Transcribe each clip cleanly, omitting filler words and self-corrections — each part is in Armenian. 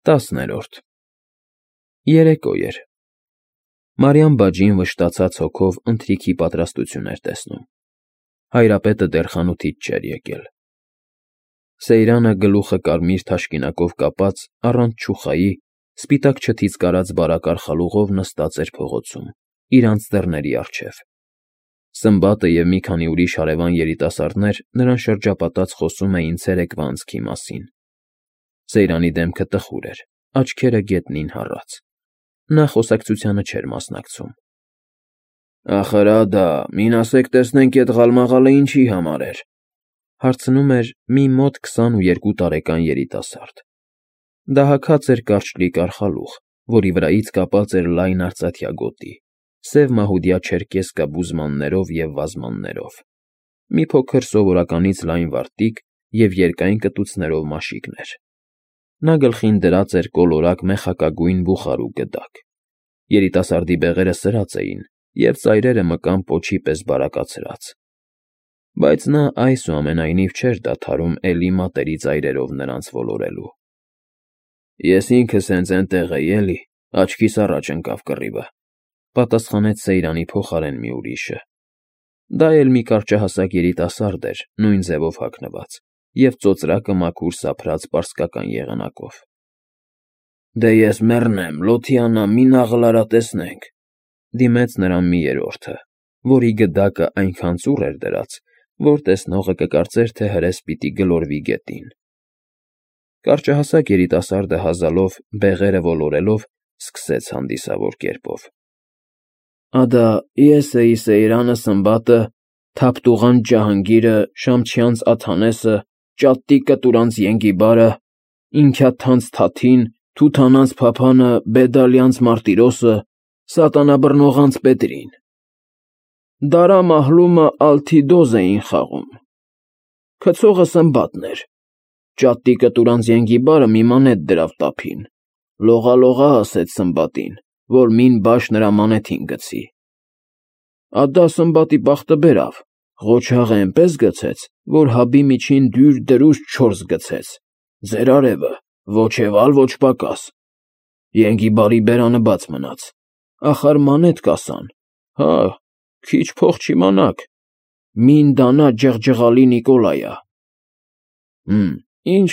10-րդ Երեկո էր։ Մարիամ բաջին վշտացած հոգով ընթրիքի պատրաստություն էր տեսնում։ Հայրապետը դեռ խանութից չէր եկել։ Սեյրանը գլուխը կարմիր թաշկինակով կապած, առանց չուխայի, սպիտակ չթից կարած բարակ արխալուղով նստած էր փողոցում, իր անձեռների առջև։ Սմբատը և մի քանի ուրիշ հարևան երիտասարդներ նրան շրջապատած խոսում էին ցերեկվա անցքի մասին։ Սեյրանի դեմքը տխուր էր, աչքերը գետնին հառած։ Նա խոսակցությանը չէր մասնակցում։ «Ախր ադա, մին ասեք տեսնենք էդ ղալմաղալը ինչի համար էր», հարցնում էր մի մոտ 22 տարեկան երիտասարդ։ Դահաքած էր կարճլիկ արխալուղ, որի վրայից կապած էր լայն արծաթյա գոտի, սև մահուդյա չերկեսկա բուզմաններով և վազմաններով, մի փոքր սովորականից լայն վարտիք և երկայն կտուցներով մաշիկներ։ Նա գլխին դրած էր կոլորակ մեխակագույն բուխարու գդակ։ Երիտասարդի բեղերը սրած էին, և ծայրերը մկան պոչի պես բարակացրած։ Բայց նա այսուամենայնիվ չէր դադարում էլի մատերի ծայրերով նրանց ոլորելու։ «Ես ինքս հենց էնտեղ էի, էլի, աչքիս առաջ ընկավ կռիվը», պատասխանեց Սեյրանի փոխարեն մի ուրիշը։ Դա էլ մի կարճահասակ երիտասարդ էր, նույն ձևով հագնված, և ծոծրակը մաքուր սափրած պարսկական եղանակով։ «Դե ես մեռնեմ, Լոթիանա, մի նաղլարա տեսնենք», դիմեց նրան մի երրորդը, որի գդակը այնքան ծուռ էր դրած, որ տեսնողը կկարծեր, թե հրես պիտի գլորվի գետին։ Կարճահասակ երիտասարդը հազալով, բեղերը ոլորելով, սկսեց հանդիսավոր կերպով. «Ադա, ես էի Սեյրանը Սմբատը, Թափտուղան Ջահանգիրը, Շամչյանց Աթանեսը, Ճատտիկը Տուրանց Ենգիբարը, Ինքյաթանց Թաթին, Թութանանց Փափանը, Բեդալյանց Մարտիրոսը, Սատանաբռնողանց Պետրին։ Դարա Մահլումը Ալթիդոզ էին խաղում։ Քցողը Սմբատն էր։ Ճատտիկը Տուրանց Ենգիբարը մի մանետ դրավ տափին։ Լողա ասեց Սմբատին, որ մին բաշ նրա մանեթին գցի։ Ադա Սմբատի բախտը բերավ, ղոչաղը էնպես գցեց, որ հաբի միջին դյուր դրուշ 4 գցեց, ձեր արևը, ոչ էվալ, ոչ պակաս։ Ենգիբարի բերանը բաց մնաց, ախար մանեթ կասան, հա, քիչ փող չիմանաք, մին դանա ջղջղալի Նիկոլայա։ Ինչ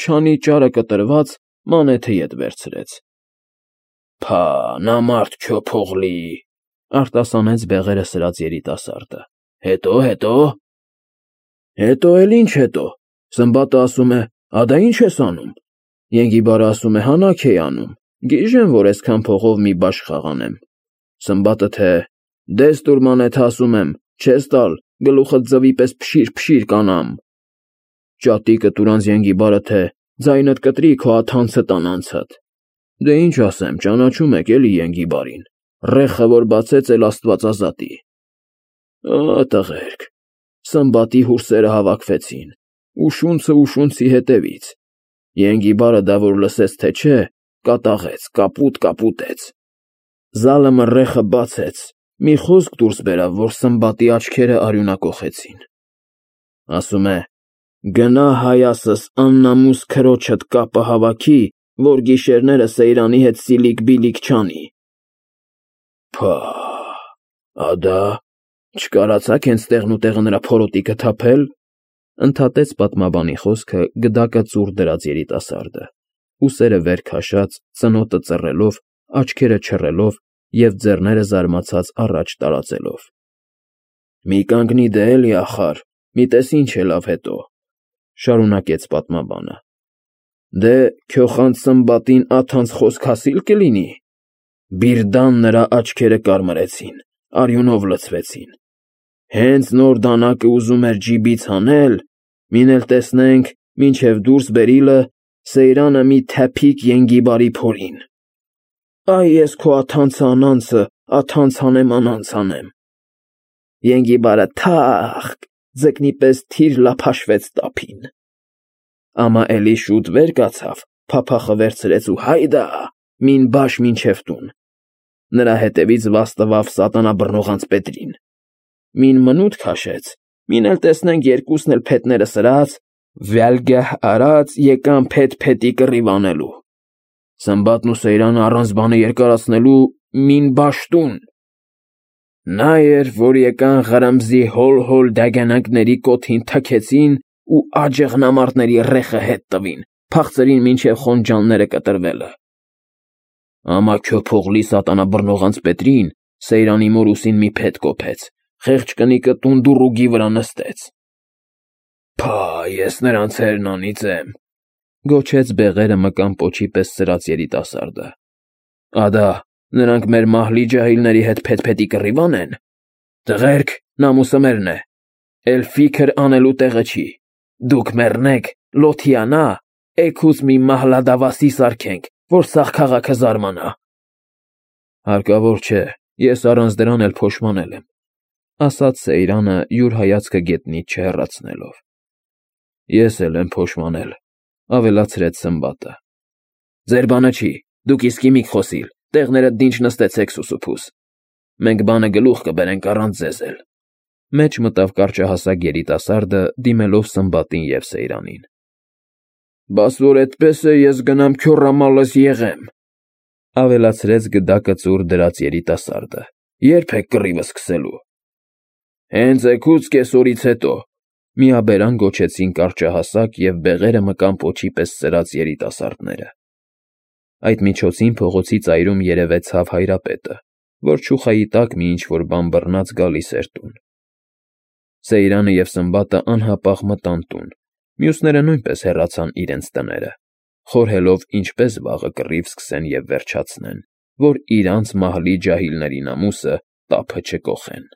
չանի ճարը կտրված, մանեթը ետ վերցրեց։ Փա, նա մարդ չոփողլի, արտասանեց բեղերը սրած երիտասարդը։ Հետո։ Հետո էլ ինչ հետո, Սմբատը ասում է, ադա ինչ ես անում։ Ենգիբարը ասում է, հանաք էի անում, գիժեմ, որ այսքան փողով մի բաշ խաղանեմ։ Սմբատը թե, դես տուր մանեթը ասում եմ, չես տալ, գլուխդ ձվի պես փշիր կանամ։ Ճատիկը Տուրանց Ենգիբարը թե, ձայնդ կտրի քո աթանցը տանանցդ։ Դե ինչ ասեմ, ճանաչում եք էլի Ենգիբարին, ռեխը որ բացեց էլ Աստվածազատի։ Տղերք, Սմբատի հուրսերը հավաքվեցին, ուշունցը ուշունցի հետևից։ Ենգիբարը դա որ լսեց թե չէ, կատաղեց, կապուտեց։ Զալը ռեխը բացեց, մի խոսք դուրս բերավ, որ Սմբատի աչքերը արյունակոխեցին։ Ասում է, գնա հայասս աննամուս քրոջդ կապը հավաքի, որ գիշերները Սեյրանի հետ սիլիկ-բիլիկ չանի։ Փա, ադա, չկարացաք հենց տեղնուտեղը նրա փորոտիքը թափել, ընդհատեց պատմաբանի խոսքը գդակը ծուռ դրած երիտասարդը, ուսերը վեր քաշած, ծնոտը ծռելով, աչքերը չռելով և ձեռները զարմացած առաջ տարածելով։ Մի կանգնի դե էլի ախար, մի տես ինչ է լավ հետո, շարունակեց պատմաբանը։ Դե քյոխանց Սմբատին աթանց խոսք հասիլ կլինի։ Բիրդան նրա աչքերը կարմրեցին, արյունով լցվեցին։ Հենց նոր դանակը ուզում էր ջիբից հանել, մին էլ տեսնենք, մինչև դուրս բերիլը Սեյրանը մի թափիկ Ենգիբարի փորին։ Այ ես քո աթանցը անանցը, աթանց անեմ։ Ենգիբարը թախ, ձկնի պես թիր լափաշվեց տափին։ Ամա էլի շուտ վեր կացավ, փափախը վերցրեց ու հայդա, մին բաշ մինչև տուն։ Նրա հետևից վազ տվավ Սատանաբռնողանց Պետրին։ Մին մնութ քաշեց, մին էլ տեսնենք երկուսն էլ փետները սրած, վյալգահ արած եկան փետ փետի կռիվ անելու։ Սմբատն ու Սեյրանը առանց բանը երկարացնելու մին բաշտուն։ Նա էր, որ եկան Ղարամզի հոլ-հոլ դագանակների կոթին թքեցին ու աջեղնամարտների ռեխը հետ տվին, փախցրին մինչև խոնջանները կտրվելը։ Ամաքյո փողլի սատանաբռնողանց Պետրին Սեյրանի մորուսին մի փետ կոփեց, խեղճ կնիկը տունդուրուգի վրա նստեց։ Փա, ես նրանց հերնանից եմ, գոչեց բեղերը մկան պոչի պես սրած երիտասարդը։ Ադա, նրանք մեր մահլի ջահիլների հետ փեթ-փետի կռիվան են։ Տղերք, նամուսը մերն է, էլ ֆիքր անելու տեղը չի։ Դուք մեռնեք, լոթիանա, էգուց մի մահլադավասի սարքենք, որ սաղ քաղաքը զարմանա։ Հարկավոր չէ, ես առանց դրան էլ փոշմանել եմ, ասաց Սեյրանը յուր հայացքը գետնից չհեռացնելով։ Ես էլ եմ փոշմանել, ավելացրեց Սմբատը։ Ձեր բանը չի, դուք իսկի մի խոսիլ, տեղները դինջ նստեցեք սուսուփուս։ Մենք բանը գլուխ կբերենք առանց ձեզ էլ։ Մեջ մտավ կարճահասակ երիտասարդը, դիմելով Սմբատին և Սեյրանին։ Բաս որ էդպես է, ես գնամ քյոռամալս եղեմ, ավելացրեց գդակը ծուռ դրած երիտասարդը։ Երբ եք կռիվը սկսելու։ Հենց էգուց կեսօրից հետո, միաբերան գոչեցին կարճահասակ և բեղերը մկան պոչի պես սրած երիտասարդները։ Այդ միջոցին փողոցի ծայրում երևեցավ Հայրապետը, որ չուխայի տակ մի ինչ-որ բան բռնած գալիս էր տուն։ Սեյրանը և Սմբատը անհապաղ մտան տուն, մյուսները նույնպես հեռացան իրենց տները, խորհելով ինչպես վաղը կռիվ սկսեն և վերջացնեն, որ իրանց մահլի ջահիլների նամուսը տափը չկոխեն։